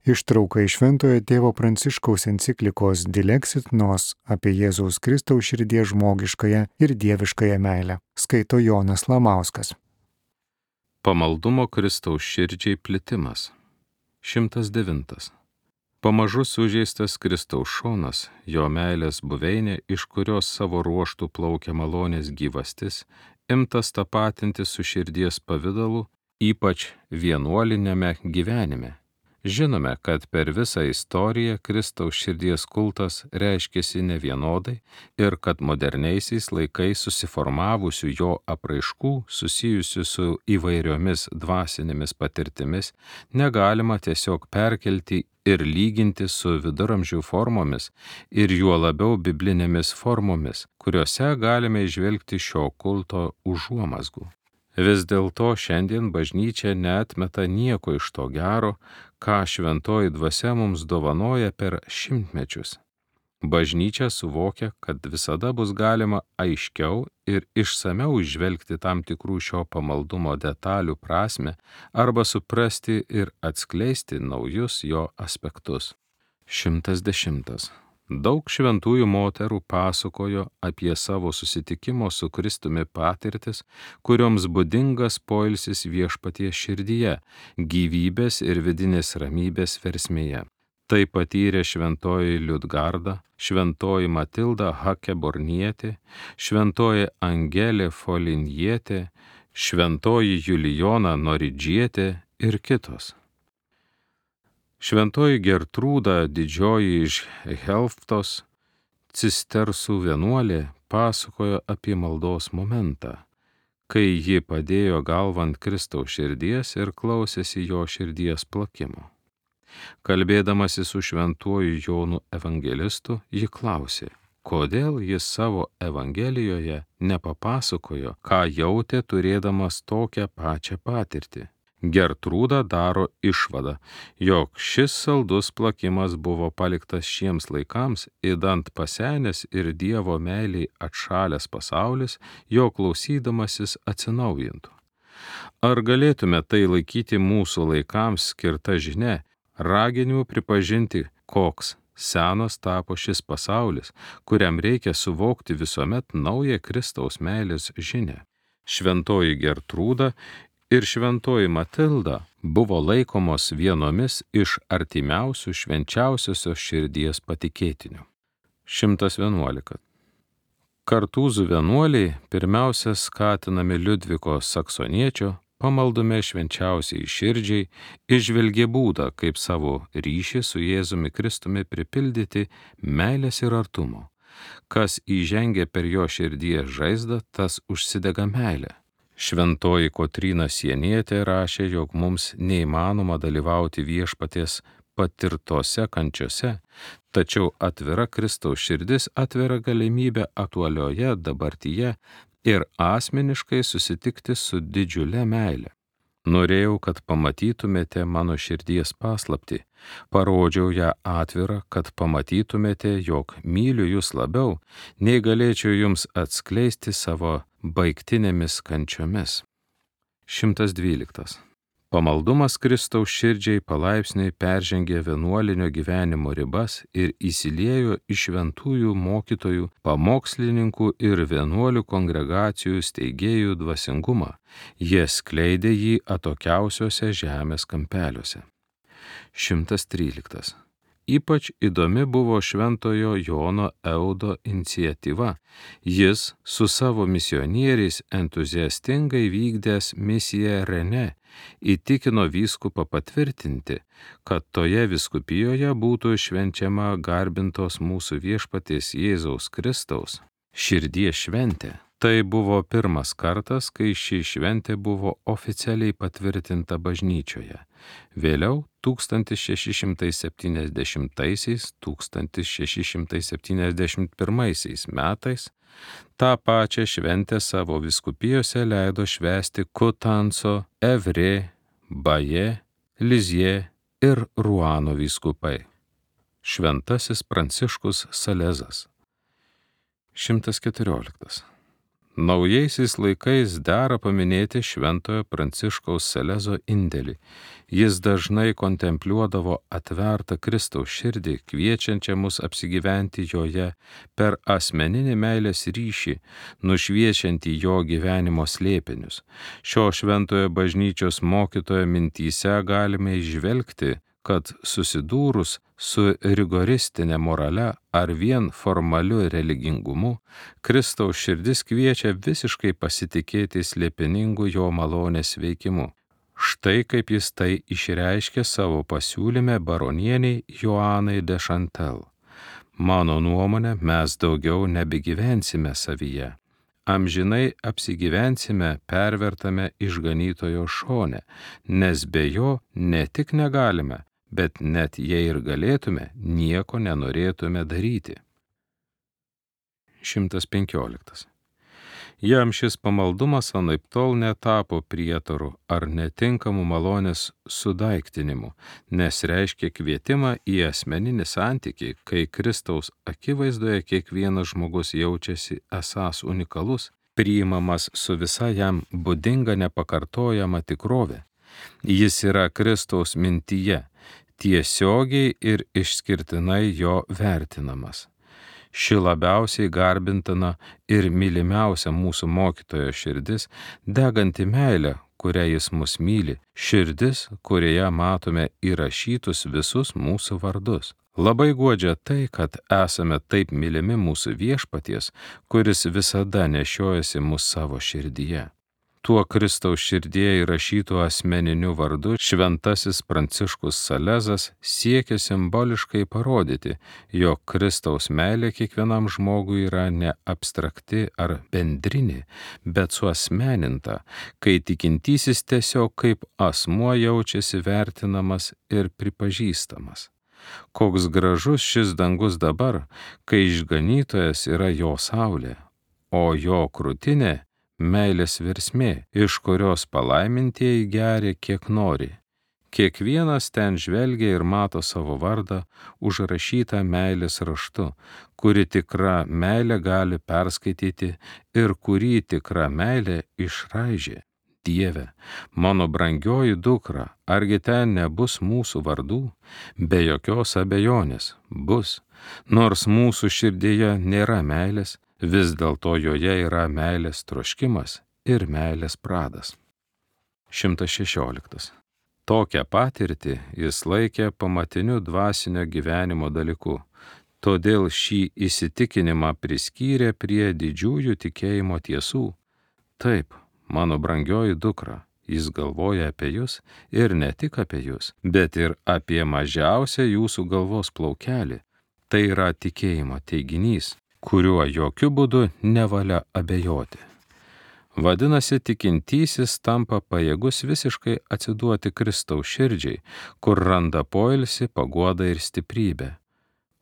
Ištrauka iš Šventojo tėvo Pranciškaus enciklikos Dilexit Nos apie Jėzaus Kristaus širdies žmogiškąją ir dieviškąją meilę. Skaito Jonas Lamauskas. Pamaldumo Kristaus širdžiai plitimas. 109. Pamažu sužeistas Kristaus šonas, jo meilės buveinė, iš kurios savo ruoštų plaukia malonės gyvastis, imtas tapatinti su širdies pavidalu, ypač vienuolinėme gyvenime. Žinome, kad per visą istoriją Kristaus širdies kultas reiškėsi nevienodai ir kad moderniaisiais laikais susiformavusių jo apraiškų susijusių su įvairiomis dvasinėmis patirtimis negalima tiesiog perkelti ir lyginti su viduramžių formomis ir juo labiau biblinėmis formomis, kuriuose galime įžvelgti šio kulto užuomazgų. Vis dėlto šiandien bažnyčia neatmeta nieko iš to gero, ką šventoji dvasia mums dovanoja per šimtmečius. Bažnyčia suvokia, kad visada bus galima aiškiau ir išsamiau įžvelgti tam tikrų šio pamaldumo detalių prasmę arba suprasti ir atskleisti naujus jo aspektus. 110. Daug šventųjų moterų pasakojo apie savo susitikimo su Kristumi patirtis, kurioms būdingas poilsis Viešpaties širdyje, gyvybės ir vidinės ramybės versmėje. Tai patyrė šventoji Liudgarda, šventoji Matilda Hakebornietė, šventoji Angelė Folinjietė, šventoji Julijona Noridžietė ir kitos. Šventoji Gertrūda didžioji iš Helftos, cistersų vienuolė, pasakojo apie maldos momentą, kai ji padėjo galvą ant Kristaus širdies ir klausėsi jo širdies plakimo. Kalbėdamasi su šventuoju Jonu Evangelistu, ji klausė, kodėl jis savo Evangelijoje nepapasakojo, ką jautė turėdamas tokią pačią patirtį. Gertrūda daro išvadą, jog šis saldus plakimas buvo paliktas šiems laikams, idant pasenęs ir Dievo meiliai atšalęs pasaulis, jo klausydamasis atsinaujintų. Ar galėtume tai laikyti mūsų laikams skirta žinia, raginimu pripažinti, koks senas tapo šis pasaulis, kuriam reikia suvokti visuomet naują Kristaus meilės žinią? Šventoji Gertrūda ir šventoji Matilda buvo laikomos vienomis iš artimiausių švenčiausiosios širdies patikėtinių. 111. Kartūzų vienuoliai pirmiausia skatinami Liudviko Saksoniečio pamaldume švenčiausiai širdžiai įžvelgė būdą, kaip savo ryšį su Jėzumi Kristumi pripildyti meilės ir artumo. Kas įžengia per jo širdies žaizdą, tas užsidega meilė. Šventoji Kotryna Sienietė rašė, jog mums neįmanoma dalyvauti Viešpaties patirtose kančiose, tačiau atvira Kristaus širdis atveria galimybę aktualioje dabartyje ir asmeniškai susitikti su didžiule meile. Norėjau, kad pamatytumėte mano širdies paslaptį, parodžiau ją atvirą, kad pamatytumėte, jog myliu jūs labiau, nei galėčiau jums atskleisti savo baigtinėmis kančiomis. 112. Pamaldumas Kristaus širdžiai palaipsniui peržengė vienuolinio gyvenimo ribas ir įsiliejo į šventųjų mokytojų, pamokslininkų ir vienuolių kongregacijų steigėjų dvasingumą. Jie skleidė jį atokiausiuose žemės kampeliuose. 113. Ypač įdomi buvo šventojo Jono Eudo iniciatyva. Jis su savo misionieriais entuziastingai vykdęs misiją Rene įtikino vyskupą patvirtinti, kad toje vyskupijoje būtų švenčiama garbintos mūsų Viešpaties Jėzaus Kristaus širdies šventė. Tai buvo pirmas kartas, kai ši šventė buvo oficialiai patvirtinta bažnyčioje. Vėliau 1670-1671 metais tą pačią šventę savo vyskupijose leido švęsti Kutanso, Evrė, Baje, Lizie ir Ruano vyskupai. Šventasis Pranciškus Salezas. 114. Naujaisiais laikais dera paminėti Šventojo Pranciškaus Salezo indėlį. Jis dažnai kontempliuodavo atvertą Kristaus širdį, kviečiančią mus apsigyventi joje per asmeninį meilės ryšį, nušviečiantį jo gyvenimo slėpinius. Šio šventojo bažnyčios mokytojo mintyse galime įžvelgti, kad susidūrus su rigoristinė morale ar vien formaliu religingumu, Kristaus širdis kviečia visiškai pasitikėti slėpiningu jo malonės veikimu. Štai kaip jis tai išreiškė savo pasiūlyme baronieniai Joanai de Chantal. Mano nuomonė, mes daugiau nebegyvensime savyje. Amžinai apsigyvensime pervertame išganytojo šone, nes be jo ne tik negalime, bet net jei ir galėtume, nieko nenorėtume daryti. 115. Jam šis pamaldumas anaiptol netapo prietaru ar netinkamu malonės sudaiktinimu, nes reiškia kvietimą į asmeninį santykį, kai Kristaus akivaizdoje kiekvienas žmogus jaučiasi esąs unikalus, priimamas su visa jam būdinga nepakartojama tikrove. Jis yra Kristaus mintyje, tiesiogiai ir išskirtinai jo vertinamas. Ši labiausiai garbintina ir mylimiausia mūsų mokytojo širdis, deganti meilė, kuria jis mus myli, širdis, kurioje matome įrašytus visus mūsų vardus. Labai guodžia tai, kad esame taip mylimi mūsų viešpaties, kuris visada nešiojasi mus savo širdyje. Tuo Kristaus širdėje įrašytų asmeniniu vardu šventasis Pranciškus Salezas siekia simboliškai parodyti, jog Kristaus meilė kiekvienam žmogui yra ne abstrakti ar bendrinė, bet suasmeninta, kai tikintysis tiesiog kaip asmuo jaučiasi vertinamas ir pripažįstamas. Koks gražus šis dangus dabar, kai išganytojas yra jo saulė, o jo krūtinė meilės versmė, iš kurios palaimintieji geria kiek nori. Kiekvienas ten žvelgia ir mato savo vardą užrašytą meilės raštu, kuri tikra meilė gali perskaityti ir kurį tikra meilė išraižė. Dieve, mano brangioji dukra, argi ten nebus mūsų vardų? Be jokios abejonės bus, nors mūsų širdyje nėra meilės, vis dėlto joje yra meilės troškimas ir meilės pradas. 116. Tokią patirtį jis laikė pamatiniu dvasinio gyvenimo dalyku, todėl šį įsitikinimą priskyrė prie didžiųjų tikėjimo tiesų. Taip, mano brangioji dukra, jis galvoja apie jūs ir ne tik apie jūs, bet ir apie mažiausią jūsų galvos plaukelį. Tai yra tikėjimo teiginys, kuriuo jokių būdų nevalia abejoti. Vadinasi, tikintysis tampa pajėgus visiškai atsiduoti Kristaus širdžiai, kur randa poilsį, paguodą ir stiprybę.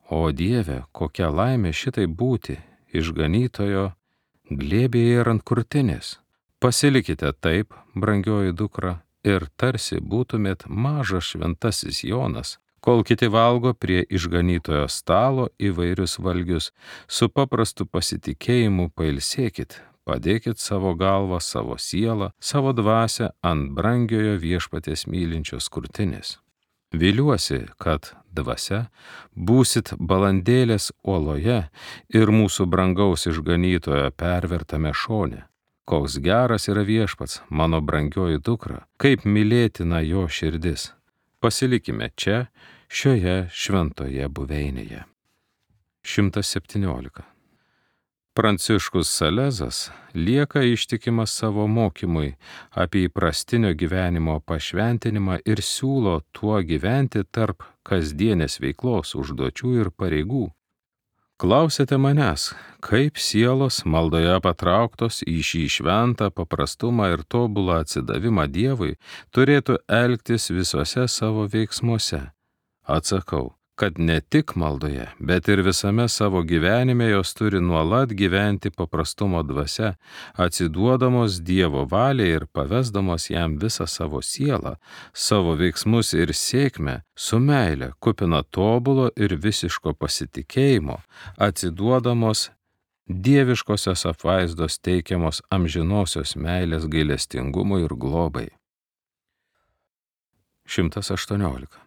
O Dieve, kokia laimė šitai būti, išganytojo glėbėje ir ant krūtinės. Pasilikite taip, brangioji dukra, ir tarsi būtumėt mažas šventasis Jonas, kol kiti valgo prie išganytojo stalo įvairius valgius, su paprastu pasitikėjimu pailsėkit, padėkit savo galvą, savo sielą, savo dvasią ant brangiojo viešpaties mylinčios krūtinės. Viliuosi, kad dvasia būsit balandėlės uoloje ir mūsų brangaus išganytojo pervertame šone. Koks geras yra viešpats, mano brangioji dukra, kaip mylėtina jo širdis. Pasilikime čia, šioje šventoje buveinėje. 117. Pranciškus Salezas lieka ištikimas savo mokymui apie įprastinio gyvenimo pašventinimą ir siūlo tuo gyventi tarp kasdienės veiklos, užduočių ir pareigų. Klausėte manęs, kaip sielos maldoje patrauktos į šį šventą paprastumą ir tobulą atsidavimą Dievui turėtų elgtis visuose savo veiksmuose. Atsakau, kad ne tik maldoje, bet ir visame savo gyvenime jos turi nuolat gyventi paprastumo dvasia, atsiduodamos Dievo valiai ir pavesdamos jam visą savo sielą, savo veiksmus ir sėkmę, su meile, kupina tobulo ir visiško pasitikėjimo, atsiduodamos dieviškosios apvaizdos teikiamos amžinosios meilės gailestingumui ir globai. 118.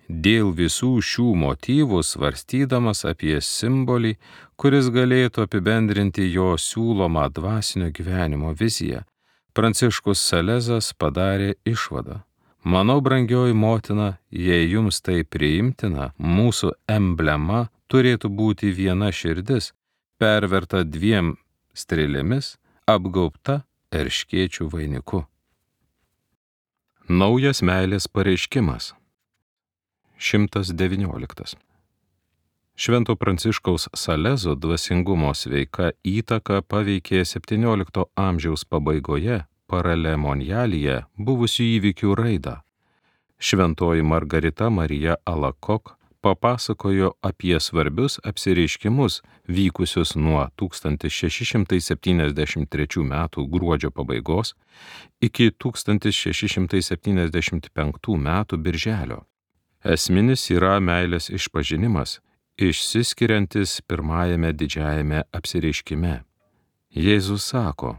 Dėl visų šių motyvų svarstydamas apie simbolį, kuris galėtų apibendrinti jo siūlomą dvasinio gyvenimo viziją, Pranciškus Salezas padarė išvadą. Manau, brangioji motina, jei jums tai priimtina, mūsų emblema turėtų būti viena širdis, perverta 2 strėlėmis, apgaubta erškėčių vainiku. Naujas meilės pareiškimas. 119. Švento Pranciškaus Salezo dvasingumo sveika įtaka paveikė 17 amžiaus pabaigoje Paralemonialyje buvusių įvykių raidą. Šventoji Margarita Marija Alakok papasakojo apie svarbius apsireiškimus vykusius nuo 1673 metų gruodžio pabaigos iki 1675 metų birželio. Esminis yra meilės išpažinimas, išsiskiriantis pirmajame didžiajame apsireiškime. Jėzus sako: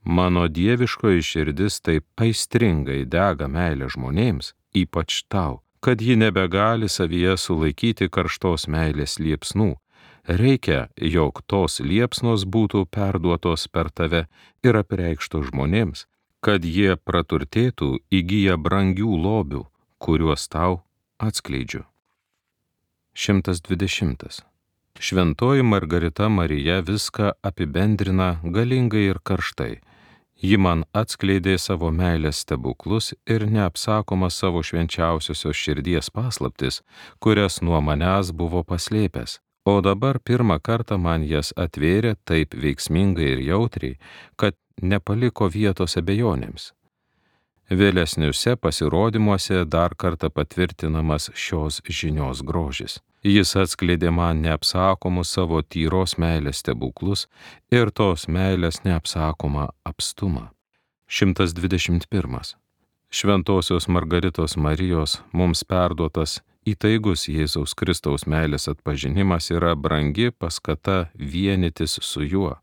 mano dieviškoji širdis taip aistringai dega meilė žmonėms, ypač tau, kad ji nebegali savyje sulaikyti karštos meilės liepsnų. Reikia, jog tos liepsnos būtų perduotos per tave ir apreikštos žmonėms, kad jie praturtėtų įgyję brangių lobių, kuriuos tau atskleidžiu. 120. Šventoji Margarita Marija viską apibendrina galingai ir karštai. Ji man atskleidė savo meilės stebuklus ir neapsakomą savo švenčiausiosios širdies paslaptis, kurias nuo manęs buvo paslėpęs. O dabar pirmą kartą man jas atvėrė taip veiksmingai ir jautriai, kad nepaliko vietos abejonėms. Vėlesniuose pasirodymuose dar kartą patvirtinamas šios žinios grožis. Jis atskleidė man neapsakomus savo tyros meilės stebuklus ir tos meilės neapsakomą apstumą. 121. Šventosios Margaritos Marijos mums perduotas įtaigus Jėzaus Kristaus meilės atpažinimas yra brangi paskata vienytis su juo.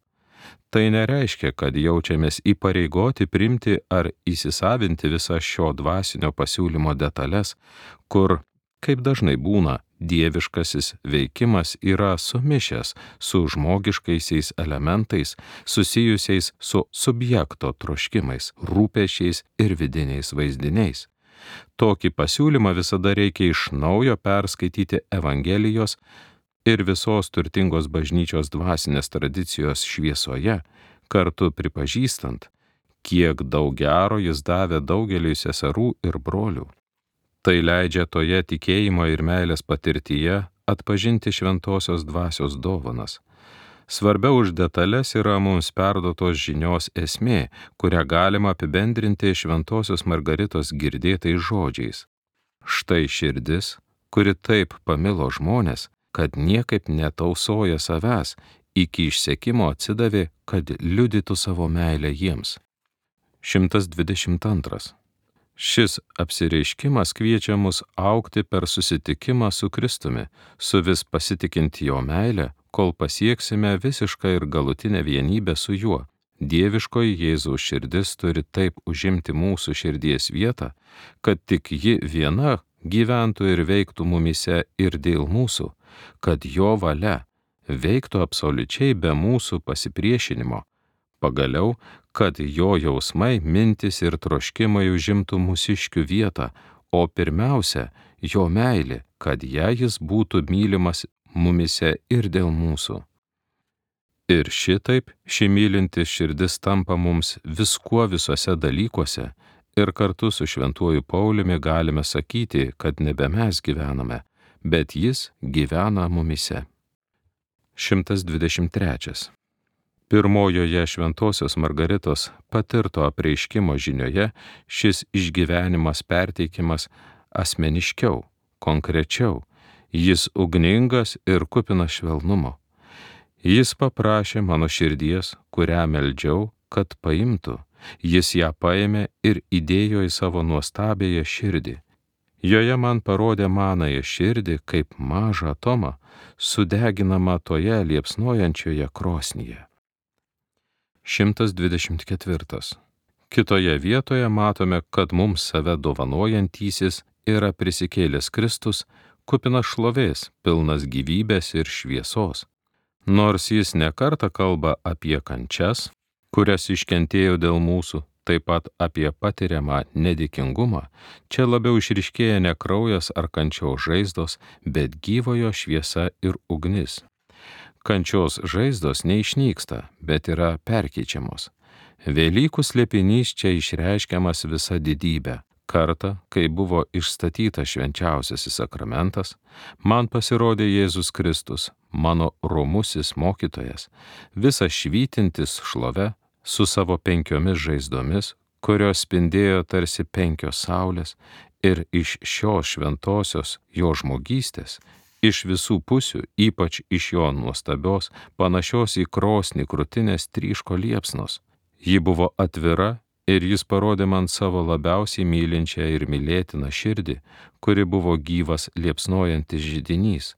Tai nereiškia, kad jaučiamės įpareigoti priimti ar įsisavinti visą šio dvasinio pasiūlymo detalės, kur, kaip dažnai būna, dieviškasis veikimas yra sumišęs su žmogiškaisiais elementais susijusiais su subjekto troškimais, rūpesčiais ir vidiniais vaizdiniais. Tokį pasiūlymą visada reikia iš naujo perskaityti Evangelijos ir visos turtingos bažnyčios dvasinės tradicijos šviesoje, kartu pripažįstant, kiek daug gero jis davė daugeliui seserų ir brolių. Tai leidžia toje tikėjimo ir meilės patirtyje atpažinti šventosios dvasios dovanas. Svarbiau už detalės yra mums perduotos žinios esmė, kurią galima apibendrinti šventosios Margaritos girdėtais žodžiais. Štai širdis, kuri taip pamilo žmonės, kad niekaip netausoja savęs, iki išsekimo atsidavė, kad liudytų savo meilę jiems. 122. Šis apsireiškimas kviečia mus augti per susitikimą su Kristumi, su vis pasitikint jo meilę, kol pasieksime visišką ir galutinę vienybę su juo. Dieviškoji Jėzaus širdis turi taip užimti mūsų širdies vietą, kad tik ji viena gyventų ir veiktų mumyse ir dėl mūsų, kad jo valia veiktų absoliučiai be mūsų pasipriešinimo. Pagaliau, kad jo jausmai, mintis ir troškimai užimtų mūsiškių vietą, o pirmiausia, jo meilė, kad jis būtų mylimas mumyse ir dėl mūsų. Ir šitaip ši mylinti širdis tampa mums viskuo visuose dalykuose, ir kartu su šventuoju Pauliumi galime sakyti, kad nebe mes gyvename, bet jis gyvena mumyse. 123. Pirmojoje šventosios Margaritos patirto apreiškimo žinioje šis išgyvenimas perteikimas asmeniškiau, konkrečiau, jis ugningas ir kupinas švelnumo. Jis paprašė mano širdies, kurią meldžiau, kad paimtų. Jis ją paėmė ir įdėjo į savo nuostabiąją širdį. Joje man parodė manąją širdį kaip mažą atomą, sudeginamą toje liepsnojančioje krosnyje. 124. Kitoje vietoje matome, kad mums save dovanojantysis yra prisikėlęs Kristus, kupinas šlovės, pilnas gyvybės ir šviesos. Nors jis nekartą kalba apie kančias, kurias iškentėjo dėl mūsų, taip pat apie patiriamą nedėkingumą, čia labiau išryškėja ne kraujas ar kančios žaizdos, bet gyvojo šviesa ir ugnis. Kančios žaizdos neišnyksta, bet yra perkeičiamos. Velykų slėpinys čia išreiškiamas visa didybė. Kartą, kai buvo išstatytas švenčiausiasis sakramentas, man pasirodė Jėzus Kristus, mano romusis mokytojas, visas švytintis šlove, su savo 5 žaizdomis, kurios spindėjo tarsi 5 saulės, ir iš šios šventosios jo žmogystės, iš visų pusių, ypač iš jo nuostabios, panašios į krosnį krūtinės tryško liepsnos. Ji buvo atvira ir jis parodė man savo labiausiai mylinčią ir mylėtiną širdį, kuri buvo gyvas liepsnojantis židinys.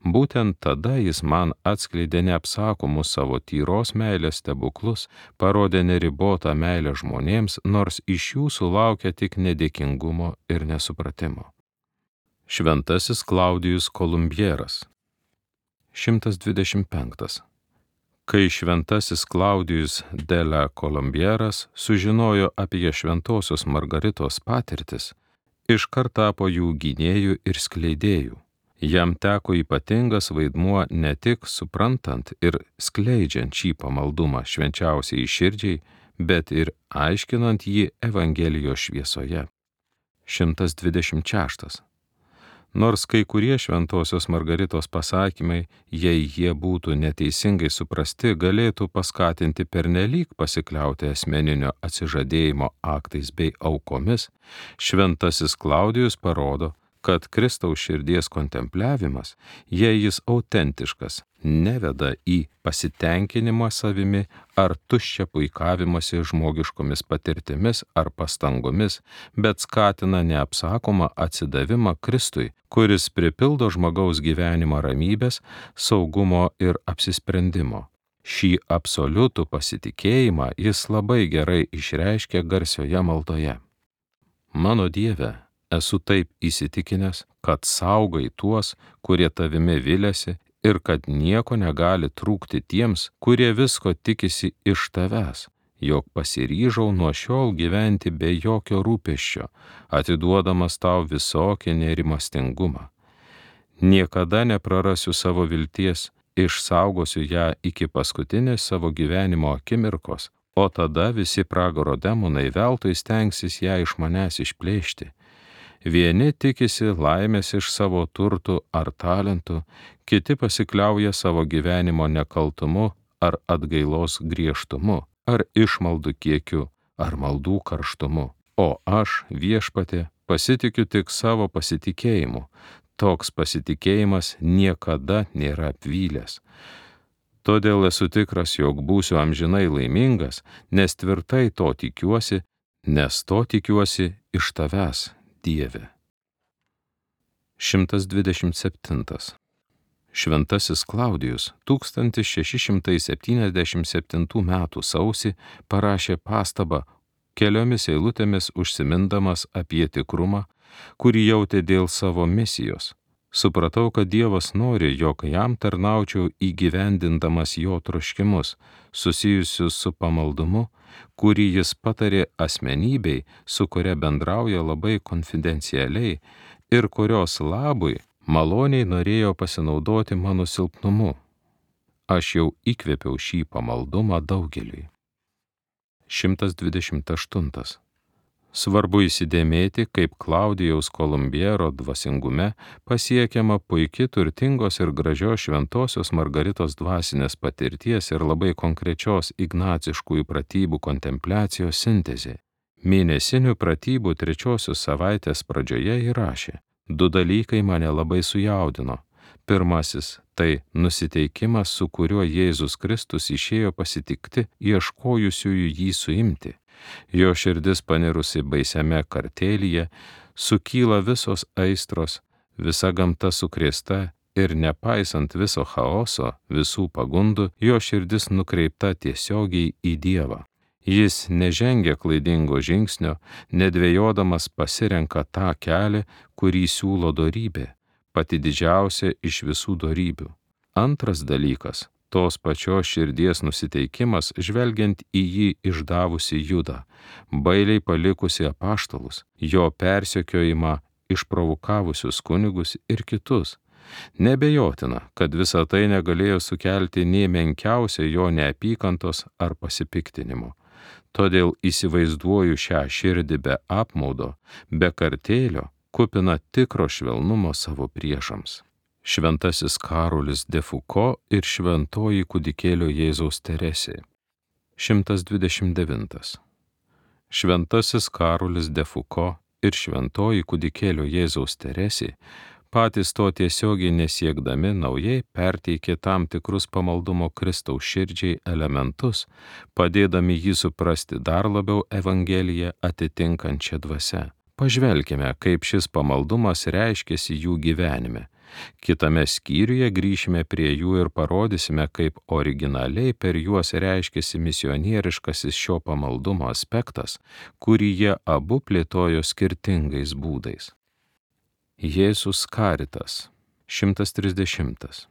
Būtent tada jis man atskleidė neapsakomus savo tyros meilės stebuklus, parodė neribotą meilę žmonėms, nors iš jų sulaukė tik nedėkingumo ir nesupratimo. Šventasis Klaudijus Kolumbieras. 125. Kai šventasis Klaudijus de la Kolumbieras sužinojo apie šventosios Margaritos patirtis, iškart tapo jų gynėjų ir skleidėjų. Jam teko ypatingas vaidmuo ne tik suprantant ir skleidžiant šį pamaldumą švenčiausiai širdžiai, bet ir aiškinant jį Evangelijos šviesoje. 126. Nors kai kurie šventosios Margaritos pasakymai, jei jie būtų neteisingai suprasti, galėtų paskatinti pernelyg pasikliauti asmeninio atsižadėjimo aktais bei aukomis, šventasis Klaudijus parodo, kad Kristaus širdies kontempliavimas, jei jis autentiškas, neveda į pasitenkinimą savimi ar tuščią puikavimąsi žmogiškomis patirtimis ar pastangomis, bet skatina neapsakomą atsidavimą Kristui, kuris pripildo žmogaus gyvenimą ramybės, saugumo ir apsisprendimo. Šį absoliutų pasitikėjimą jis labai gerai išreiškia garsioje maldoje. Mano Dieve, esu taip įsitikinęs, kad saugai tuos, kurie tavimi viliasi ir kad nieko negali trūkti tiems, kurie visko tikisi iš tavęs, jog pasiryžau nuo šiol gyventi be jokio rūpesčio, atiduodamas tau visokį nerimastingumą. Niekada neprarasiu savo vilties, išsaugosiu ją iki paskutinės savo gyvenimo akimirkos, o tada visi pragaro demonai veltui stengsis ją iš manęs išplėšti. Vieni tikisi laimės iš savo turtų ar talentų, kiti pasikliauja savo gyvenimo nekaltumu ar atgailos griežtumu, ar išmaldų kiekiu, ar maldų karštumu. O aš, Viešpatie, pasitikiu tik savo pasitikėjimu. Toks pasitikėjimas niekada nėra apvylęs. Todėl esu tikras, jog būsiu amžinai laimingas, nes tvirtai to tikiuosi, nes to tikiuosi iš tavęs, Dieve. 127. Šventasis Klaudijus 1677 metų sausį parašė pastabą, keliomis eilutėmis užsimindamas apie tikrumą, kurį jautė dėl savo misijos. Supratau, kad Dievas nori, jog jam tarnaučiau įgyvendindamas jo troškimus, susijusius su pamaldumu, kurį jis patarė asmenybei, su kuria bendrauja labai konfidencialiai ir kurios labui maloniai norėjo pasinaudoti mano silpnumu. Aš jau įkvėpiau šį pamaldumą daugeliui. 128. Svarbu įsidėmėti, kaip Klaudijaus Kolumbiero dvasingume pasiekiama puiki turtingos ir gražios šventosios Margaritos dvasinės patirties ir labai konkrečios ignaciškųjų pratybų kontempliacijos sintezė. Mėnesinių pratybų 3 savaitės pradžioje įrašė: 2 dalykai mane labai sujaudino. Pirmasis – tai nusiteikimas, su kuriuo Jėzus Kristus išėjo pasitikti ieškojusiųjų jį suimti. Jo širdis panirusi baisiame kartėlyje, sukyla visos aistros, visa gamta sukrėsta ir nepaisant viso chaoso, visų pagundų, jo širdis nukreipta tiesiogiai į Dievą. Jis nežengia klaidingo žingsnio, nedvejodamas pasirenka tą kelią, kurį siūlo dorybė, pati didžiausia iš visų dorybių. Antras dalykas - tos pačios širdies nusiteikimas žvelgiant į jį išdavusi Judą, bailiai palikusi apaštalus, jo persekiojimą išprovokavusius kunigus ir kitus. Nebejotina, kad visa tai negalėjo sukelti nė menkiausia jo neapykantos ar pasipiktinimo. Todėl įsivaizduoju šią širdį be apmaudo, be kartėlio, kupina tikro švelnumo savo priešams. Šventasis Karolis de Foucault ir šventoji kūdikėlio Jėzaus Teresė. 129. Šventasis Karolis de Foucault ir šventoji kūdikėlio Jėzaus Teresė patys to tiesiogiai nesiekdami naujai perteikė tam tikrus pamaldumo Kristaus širdžiai elementus, padėdami jį suprasti dar labiau Evangeliją atitinkančią dvasią. Pažvelkime, kaip šis pamaldumas reiškėsi jų gyvenime. Kitame skyriuje grįšime prie jų ir parodysime, kaip originaliai per juos reiškėsi misionieriškasis šio pamaldumo aspektas, kurį jie abu plėtojo skirtingais būdais. Jėzus Karitas. 130.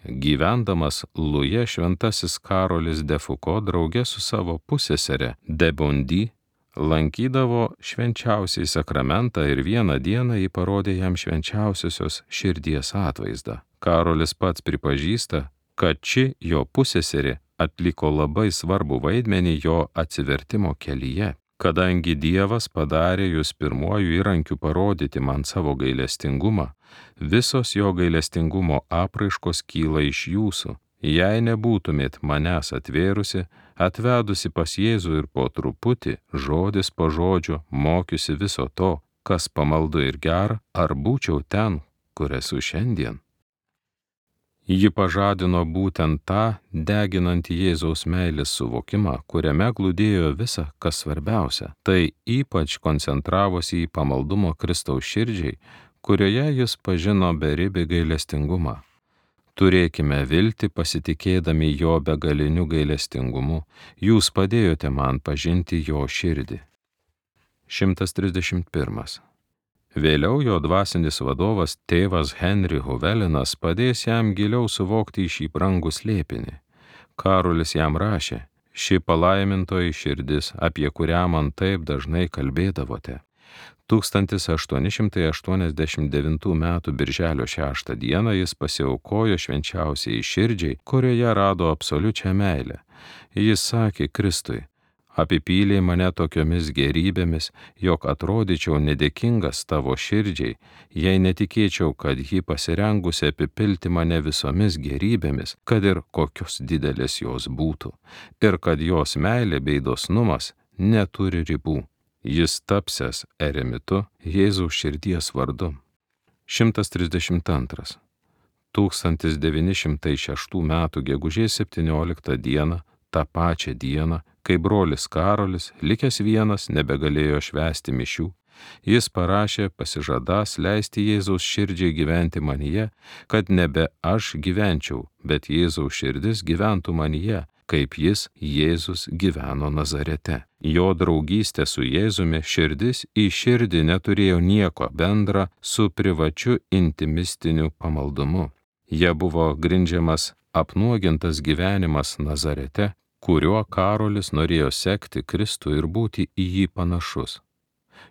Gyvendamas Luje šventasis Karolis de Foucault drauge su savo pusesere de Bondy lankydavo švenčiausiai sakramentą ir vieną dieną jį parodė jam švenčiausiosios širdies atvaizdą. Karolis pats pripažįsta, kad ši jo pusseserė atliko labai svarbų vaidmenį jo atsivertimo kelyje. Kadangi Dievas padarė jūs pirmuoju įrankiu parodyti man savo gailestingumą, visos jo gailestingumo apraiškos kyla iš jūsų. Jei nebūtumėt manęs atvėrusi, atvedusi pas Jėzų ir po truputį, žodis po žodžio, mokiusi viso to, kas pamaldu ir gera, ar būčiau ten, kur esu šiandien. Ji pažadino būtent tą deginantį Jėzaus meilės suvokimą, kuriame glūdėjo visa, kas svarbiausia. Tai ypač koncentravosi į pamaldumo Kristaus širdžiai, kurioje jis pažino beribį gailestingumą. Turėkime viltį pasitikėdami jo begaliniu gailestingumu, jūs padėjote man pažinti jo širdį. 131. Vėliau jo dvasinis vadovas tėvas Henry Huvelinas padės jam giliau suvokti šį brangų slėpinį. Karolis jam rašė, ši palaimintoji širdis, apie kurią man taip dažnai kalbėdavote. 1889 m. birželio 6 dieną jis pasiaukojo švenčiausiai širdžiai, kurioje rado absoliučią meilę. Jis sakė Kristui, apipylė mane tokiomis gerybėmis, jog atrodyčiau nedėkingas tavo širdžiai, jei netikėčiau, kad ji pasirengusi apipilti mane visomis gerybėmis, kad ir kokios didelės jos būtų, ir kad jos meilė bei dosnumas neturi ribų. Jis tapsęs eremitu Jėzaus širdies vardu. 132. 1906 m. gegužės 17 dieną, tą pačią dieną, kai brolis Karolis, likęs vienas, nebegalėjo švęsti mišių, jis parašė pasižadąs leisti Jėzaus širdžiai gyventi manyje, kad nebe aš gyvenčiau, bet Jėzaus širdis gyventų manyje, kaip jis, Jėzus, gyveno Nazarete. Jo draugystė su Jėzumi širdis į širdį neturėjo nieko bendra su privačiu intimistiniu pamaldumu. Jie buvo grindžiamas apnuogintas gyvenimas Nazarete, kuriuo Karolis norėjo sekti Kristų ir būti į jį panašus.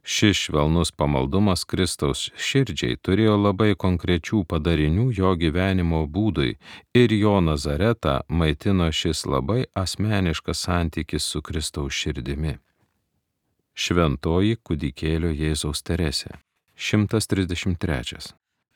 Šis švelnus pamaldumas Kristaus širdžiai turėjo labai konkrečių padarinių jo gyvenimo būdui ir jo Nazaretą maitino šis labai asmeniškas santykis su Kristaus širdimi. Šventoji kūdikėlio Jėzaus Teresė. 133.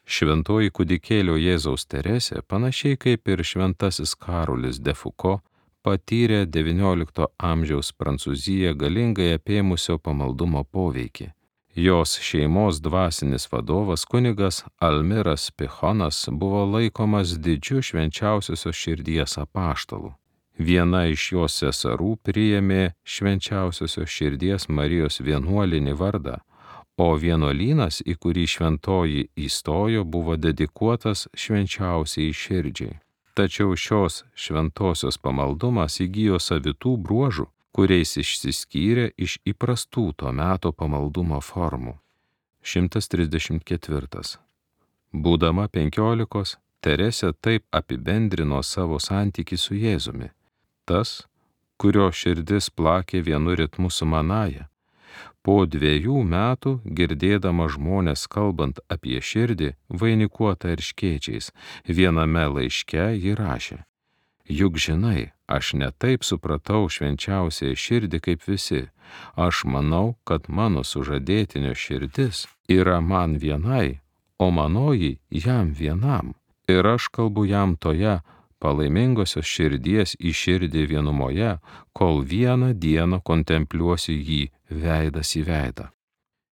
Šventoji kūdikėlio Jėzaus Teresė, panašiai kaip ir šventasis Karolis de Foucault, patyrė XIX amžiaus Prancūziją galingai apėmusio pamaldumo poveikį. Jos šeimos dvasinis vadovas kunigas Almiras Pichonas buvo laikomas didžiu švenčiausiosios širdies apaštalu. Viena iš jos seserų priėmė švenčiausiosios širdies Marijos vienuolinį vardą, o vienuolynas, į kurį šventoji įstojo, buvo dedikuotas švenčiausiai širdžiai. Tačiau šios šventosios pamaldumas įgijo savitų bruožų, kuriais išsiskyrė iš įprastų to meto pamaldumo formų. 134. Būdama 15, Teresė taip apibendrino savo santykį su Jėzumi. Tas, kurio širdis plakė vienu ritmu su manaja. Po 2 metų, girdėdama žmonės kalbant apie širdį, vainikuotą erškėčiais, viename laiške ji rašė: Juk žinai, aš ne taip supratau švenčiausiąją širdį kaip visi. Aš manau, kad mano sužadėtinio širdis yra man vienai, o manoji jam vienam. Ir aš kalbu jam toje palaimingosios širdies į širdį vienumoje, kol vieną dieną kontempliuosiu jį veidas į veidą.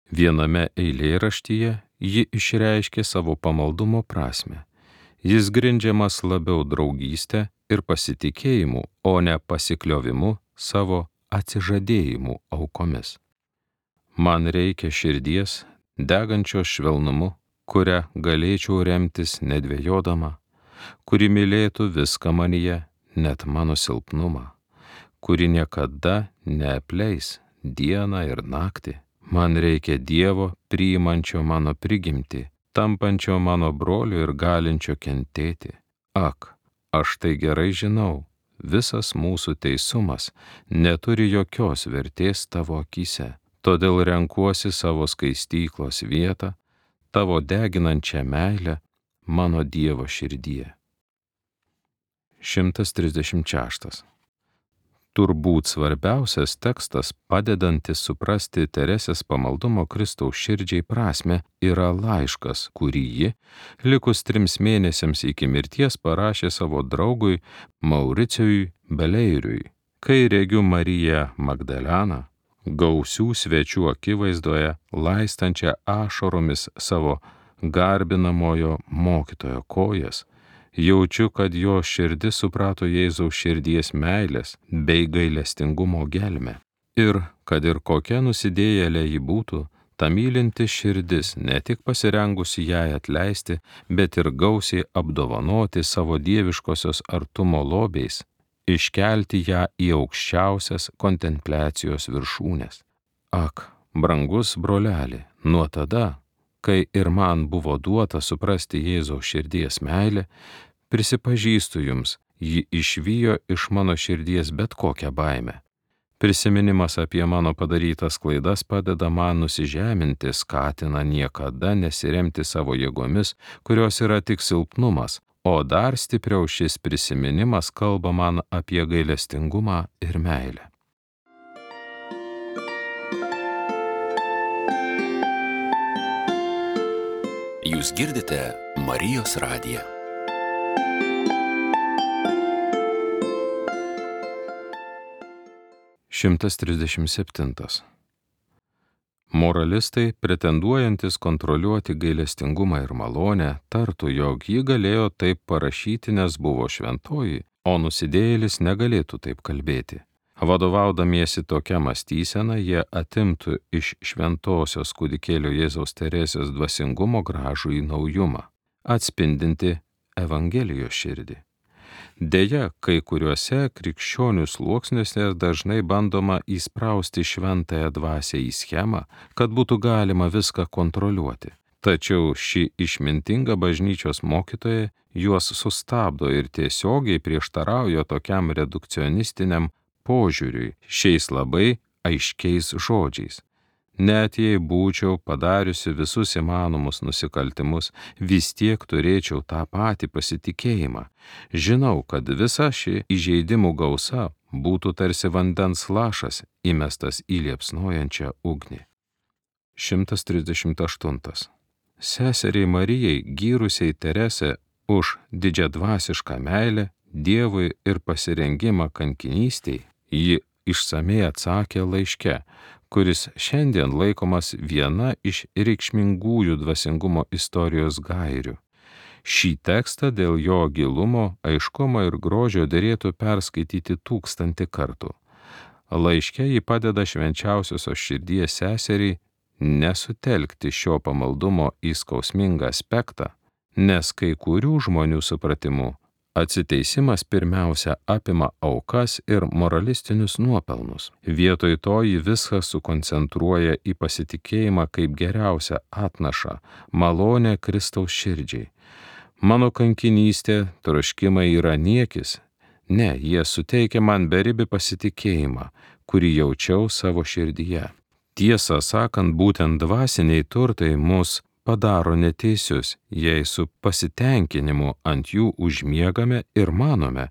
Viename eilėraštyje ji išreiškė savo pamaldumo prasmę. Jis grindžiamas labiau draugystę ir pasitikėjimu, o ne pasikliovimu savo atsižadėjimu aukomis. Man reikia širdies, degančios švelnumu, kurią galėčiau remtis nedvejodama, kuri mylėtų viską manyje, net mano silpnumą, kuri niekada neapleis dieną ir naktį. Man reikia Dievo priimančio mano prigimtį, tampančio mano broliu ir galinčio kentėti. Ak, aš tai gerai žinau, visas mūsų teisumas neturi jokios vertės tavo akyse, todėl renkuosi savo skaistyklos vietą, tavo deginančią meilę mano Dievo širdyje. 136. Turbūt svarbiausias tekstas, padedantis suprasti Teresės pamaldumo Kristaus širdžiai prasme, yra laiškas, kurį ji, likus 3 mėnesiams iki mirties, parašė savo draugui Mauricijui Beleiriui. Kai regiu Mariją Magdaleną, gausių svečių akivaizdoje, laistančią ašaromis savo garbinamojo mokytojo kojas, jaučiu, kad jo širdis suprato Jėzaus širdies meilės bei gailestingumo gelmę. Ir, kad ir kokia nusidėjėlė ji būtų, ta mylinti širdis ne tik pasirengusi jai atleisti, bet ir gausiai apdovanoti savo dieviškosios artumo lobiais, iškelti ją į aukščiausias kontempliacijos viršūnes. Ak, brangus broleli, nuo tada, kai ir man buvo duota suprasti Jėzaus širdies meilę, prisipažįstu jums, ji išvijo iš mano širdies bet kokią baimę. Prisiminimas apie mano padarytas klaidas padeda man nusižeminti, skatina niekada nesiremti savo jėgomis, kurios yra tik silpnumas, o dar stipriau šis prisiminimas kalba man apie gailestingumą ir meilę. Jūs girdite Marijos radiją. Šimtas 37. Moralistai, pretenduojantis kontroliuoti gailestingumą ir malonę, tartų, jog ji galėjo taip parašyti, nes buvo šventoji, o nusidėjėlis negalėtų taip kalbėti. Vadovaudamiesi tokia mąstysena, jie atimtų iš šventosios kūdikėlio Jėzaus Teresės dvasingumo gražų į naujumą, atspindinti Evangelijos širdį. Deja, kai kuriuose krikščionių sluoksniuose dažnai bandoma įsprausti šventąją dvasią į schemą, kad būtų galima viską kontroliuoti. Tačiau ši išmintinga bažnyčios mokytoja juos sustabdo ir tiesiogiai prieštarauja tokiam redukcionistiniam požiūriui šiais labai aiškiais žodžiais. Net jei būčiau padariusi visus įmanomus nusikaltimus, vis tiek turėčiau tą patį pasitikėjimą. Žinau, kad visa ši įžeidimų gausa būtų tarsi vandens lašas įmestas į liepsnojančią ugnį. 138. Seseriai Marijai, gyrusiai Teresę už didžiadvasišką meilę Dievui ir pasirengimą kankinystei, ji išsamiai atsakė laiške, kuris šiandien laikomas viena iš reikšmingųjų dvasingumo istorijos gairių. Šį tekstą dėl jo gilumo, aiškumo ir grožio derėtų perskaityti 1000 kartų. Laiške ji padeda švenčiausiosios širdies seseriai nesutelkti šio pamaldumo į skausmingą aspektą, nes kai kurių žmonių supratimu atsiteisimas pirmiausia apima aukas ir moralistinius nuopelnus. Vietoj to ji viską sukoncentruoja į pasitikėjimą kaip geriausią atnašą, malonę Kristaus širdžiai. Mano kankinystė, troškimai yra niekis. Ne, jie suteikia man beribį pasitikėjimą, kurį jaučiau savo širdyje. Tiesą sakant, būtent dvasiniai turtai mus padaro neteisius, jei su pasitenkinimu ant jų užmiegame ir manome,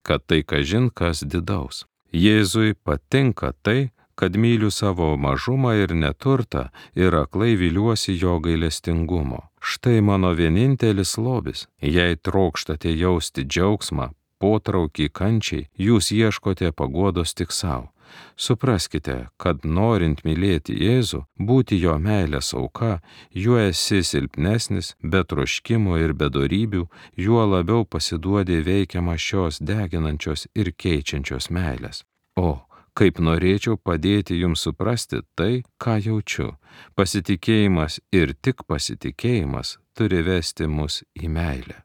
kad tai kažin kas didaus. Jėzui patinka tai, kad myliu savo mažumą ir neturtą ir aklai viliuosi jo gailestingumo. Štai mano vienintelis lobis. Jei trokštate jausti džiaugsmą, potraukį kančiai, jūs ieškote paguodos tik savo. Supraskite, kad norint mylėti Jėzų, būti jo meilės auka, juo esi silpnesnis, be troškimo ir be dorybių, juo labiau pasiduodi veikiama šios deginančios ir keičiančios meilės. O, kaip norėčiau padėti jums suprasti tai, ką jaučiu. Pasitikėjimas ir tik pasitikėjimas turi vesti mus į meilę.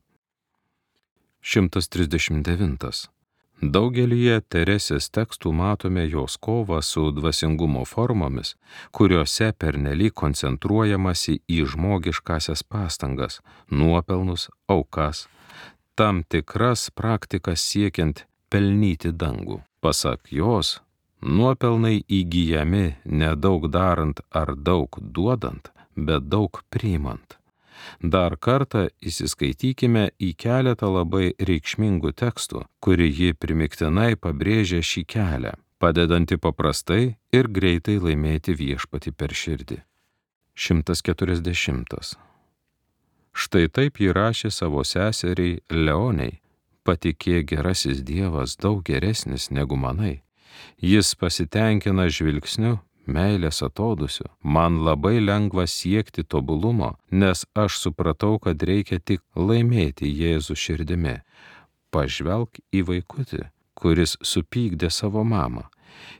139. Daugelyje Teresės tekstų matome jos kovą su dvasingumo formomis, kuriuose pernelyg koncentruojamasi į žmogiškasias pastangas, nuopelnus, aukas, tam tikras praktikas siekiant pelnyti dangų. Pasak jos, nuopelnai įgyjami ne daug darant ar daug duodant, bet daug priimant. Dar kartą įsiskaitykime į keletą labai reikšmingų tekstų, kurį ji primiktinai pabrėžia šį kelią, padedantį paprastai ir greitai laimėti viešpatį per širdį. 140. Štai taip ji rašė savo seseriai Leonei: patikėk, gerasis Dievas daug geresnis negu manai. Jis pasitenkina žvilgsniu, meilės atodūsiu. Man labai lengva siekti tobulumo, nes aš supratau, kad reikia tik laimėti Jėzų širdimi. Pažvelk į vaikutį, kuris supykdė savo mamą.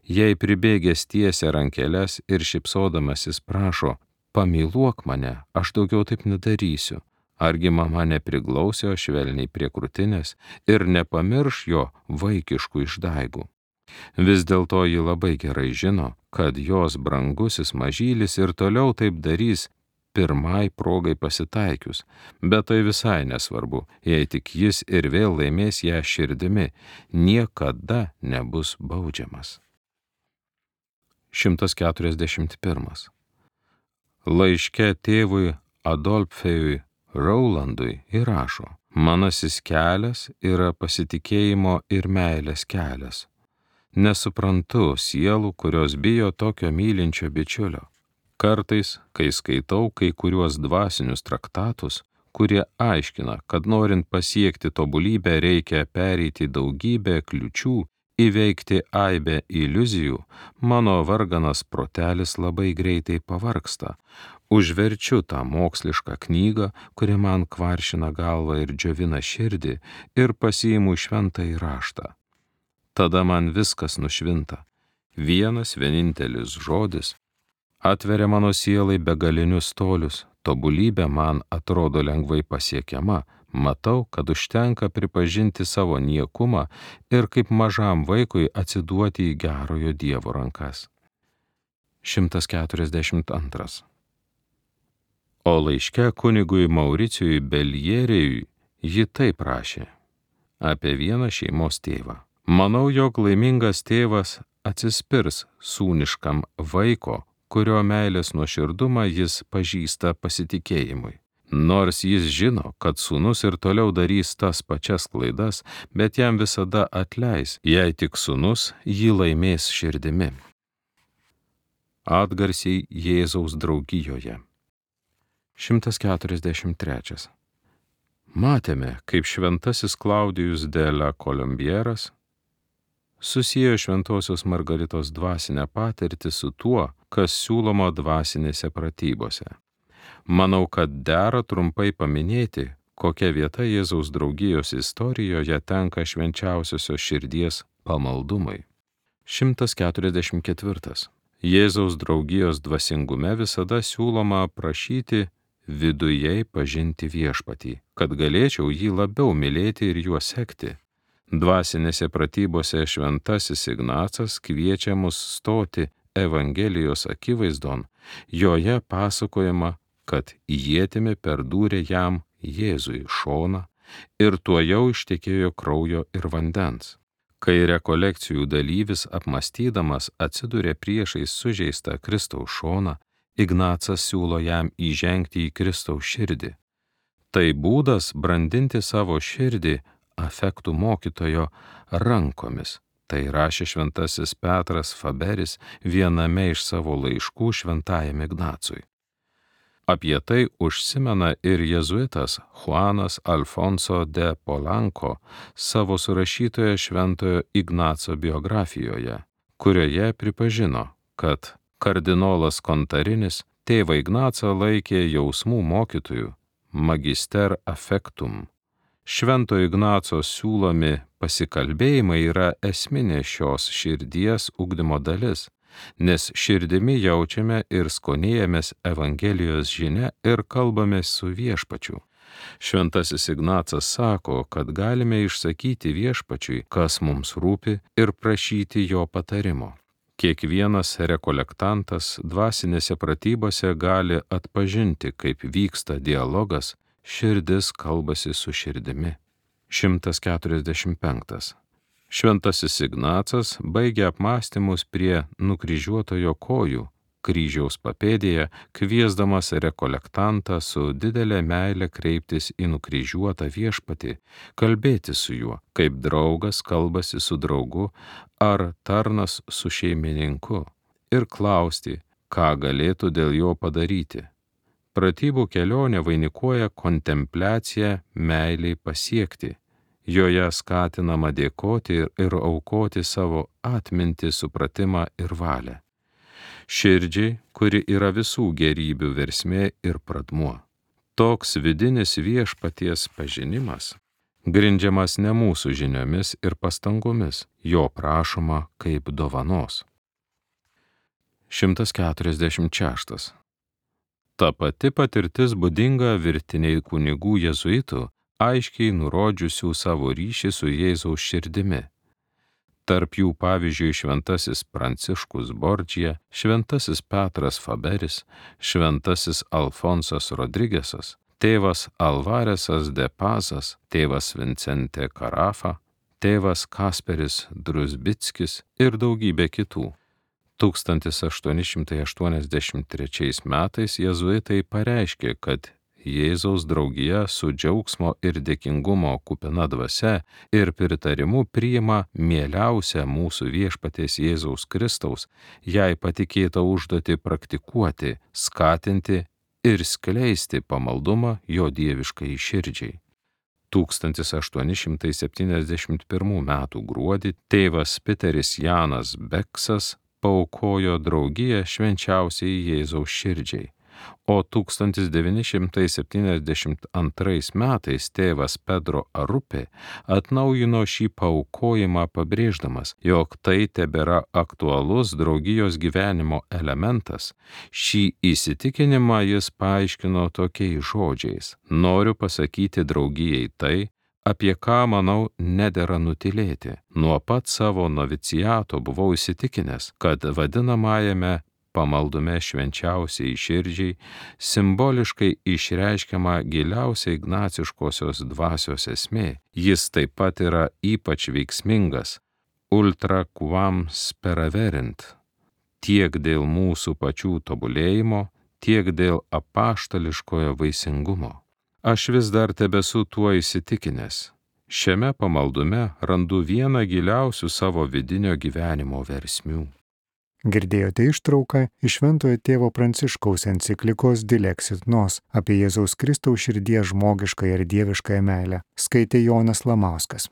Jei pribėgęs tiesia rankeles ir šypsodamasis prašo: pamyluok mane, aš daugiau taip nedarysiu. Argi mama nepriglausė jo švelniai prie krūtinės ir nepamirš jo vaikiškų išdaigų. Vis dėlto ji labai gerai žino, kad jos brangusis mažylis ir toliau taip darys pirmai progai pasitaikius, bet tai visai nesvarbu, jei tik jis ir vėl laimės ją širdimi, niekada nebus baudžiamas. 141. Laiške tėvui Adolfėjui Raulandui įrašo: manasis kelias yra pasitikėjimo ir meilės kelias. Nesuprantu sielų, kurios bijo tokio mylinčio bičiulio. Kartais, kai skaitau kai kuriuos dvasinius traktatus, kurie aiškina, kad norint pasiekti tobulybę reikia pereiti daugybę kliučių, įveikti aibę iliuzijų, mano varganas protelis labai greitai pavargsta. Užverčiu tą mokslišką knygą, kuri man kvaršina galvą ir džiovina širdį, ir pasiimu šventąjį raštą. Tada man viskas nušvinta. Vienas vienintelis žodis atveria mano sielai begalinius tolius, tobulybė man atrodo lengvai pasiekiama, matau, kad užtenka pripažinti savo niekumą ir kaip mažam vaikui atsiduoti į gerojo Dievo rankas. 142. O laiške kunigui Mauricijui Beljerijui ji taip rašė apie vieną šeimos tėvą: manau, jog laimingas tėvas atsispirs sūniškam vaiko, kurio meilės nuoširdumą jis pažįsta pasitikėjimui. Nors jis žino, kad sūnus ir toliau darys tas pačias klaidas, bet jam visada atleis, jei tik sūnus jį laimės širdimi. Atgarsiai Jėzaus draugijoje. 143. Matėme, kaip šventasis Klaudijus de la Kolumbieras susiejo šventosios Margaritos dvasinę patirtį su tuo, kas siūloma dvasinėse pratybose. Manau, kad dera trumpai paminėti, kokia vieta Jėzaus draugijos istorijoje tenka švenčiausiosios širdies pamaldumui. 144. Jėzaus draugijos dvasingume visada siūloma prašyti vidujei pažinti viešpatį, kad galėčiau jį labiau mylėti ir juo sekti. Dvasinėse pratybose šventasis Ignacas kviečia mus stoti Evangelijos akivaizdon, joje pasakojama, kad ietimi perdūrė jam Jėzui šoną ir tuojau ištekėjo kraujo ir vandens. Kai rekolekcijų dalyvis apmąstydamas atsiduria priešais sužeistą Kristaus šoną, Ignacas siūlo jam įžengti į Kristaus širdį. Tai būdas brandinti savo širdį afektų mokytojo rankomis. Tai rašė šventasis Petras Faberis viename iš savo laiškų šventajam Ignacui. Apie tai užsimena ir jėzuitas Juanas Alfonso de Polanco savo surašytoje šventojo Ignaco biografijoje, kurioje pripažino, kad kardinolas Kontarinis tėvą Ignacą laikė jausmų mokytojų, magister affectum. Švento Ignaco siūlomi pasikalbėjimai yra esminė šios širdies ugdymo dalis, nes širdimi jaučiame ir skonėjamės Evangelijos žinia ir kalbamės su viešpačiu. Šventasis Ignacas sako, kad galime išsakyti viešpačiui, kas mums rūpi, ir prašyti jo patarimo. Kiekvienas rekolektantas dvasinėse pratybose gali atpažinti, kaip vyksta dialogas, širdis kalbasi su širdimi. 145. Šventasis Ignacas baigia apmąstymus prie nukryžiuotojo kojų, kryžiaus papėdėje, kviesdamas rekolektantą su didelė meile kreiptis į nukryžiuotą viešpatį, kalbėti su juo, kaip draugas kalbasi su draugu ar tarnas su šeimininku, ir klausti, ką galėtų dėl jo padaryti. Pratybų kelionė vainikuoja kontempliaciją meiliai pasiekti. Joje skatinama dėkoti ir aukoti savo atmintį, supratimą ir valią. Širdžiai, kuri yra visų gerybių versmė ir pradmuo. Toks vidinis viešpaties pažinimas grindžiamas ne mūsų žiniomis ir pastangomis, jo prašoma kaip dovanos. 146. Ta pati patirtis būdinga virtiniai kunigų jėzuitų, aiškiai nurodžiusių savo ryšį su Jėzaus širdimi. Tarp jų pavyzdžiui šventasis Pranciškus Bordžija, šventasis Petras Faberis, šventasis Alfonsas Rodrigesas, tėvas Alvaresas de Pazas, tėvas Vincente Carafa, tėvas Kasperis Druzbickis ir daugybė kitų. 1883 metais jėzuitai pareiškė, kad Jėzaus draugija su džiaugsmo ir dėkingumo kupina dvasia ir pritarimu priima mieliausią mūsų viešpaties Jėzaus Kristaus, jai patikėtą užduotį praktikuoti, skatinti ir skleisti pamaldumą jo dieviškai širdžiai. 1871 metų gruodį tėvas Piteris Janas Beksas paaukojo draugiją švenčiausiai Jėzaus širdžiai, o 1972 metais tėvas Pedro Arupė atnaujino šį paaukojimą pabrėždamas, jog tai tebėra aktualus draugijos gyvenimo elementas. Šį įsitikinimą jis paaiškino tokiais žodžiais: noriu pasakyti draugijai tai, apie ką, manau, nedera nutylėti. Nuo pat savo noviciato buvau įsitikinęs, kad vadinamajame pamaldume švenčiausiai širdžiai simboliškai išreiškiama giliausia ignaciškosios dvasios esmė. Jis taip pat yra ypač veiksmingas, ultra quam speraverint, tiek dėl mūsų pačių tobulėjimo, tiek dėl apaštališkojo vaisingumo. Aš vis dar tebesu tuo įsitikinęs. Šiame pamaldume randu vieną giliausių savo vidinio gyvenimo versmių. Girdėjote ištrauką iš Šventojo tėvo Pranciškaus enciklikos Dilexit Nos apie Jėzaus Kristaus širdies žmogiškąją ir dieviškąją meilę. Skaitė Jonas Lamauskas.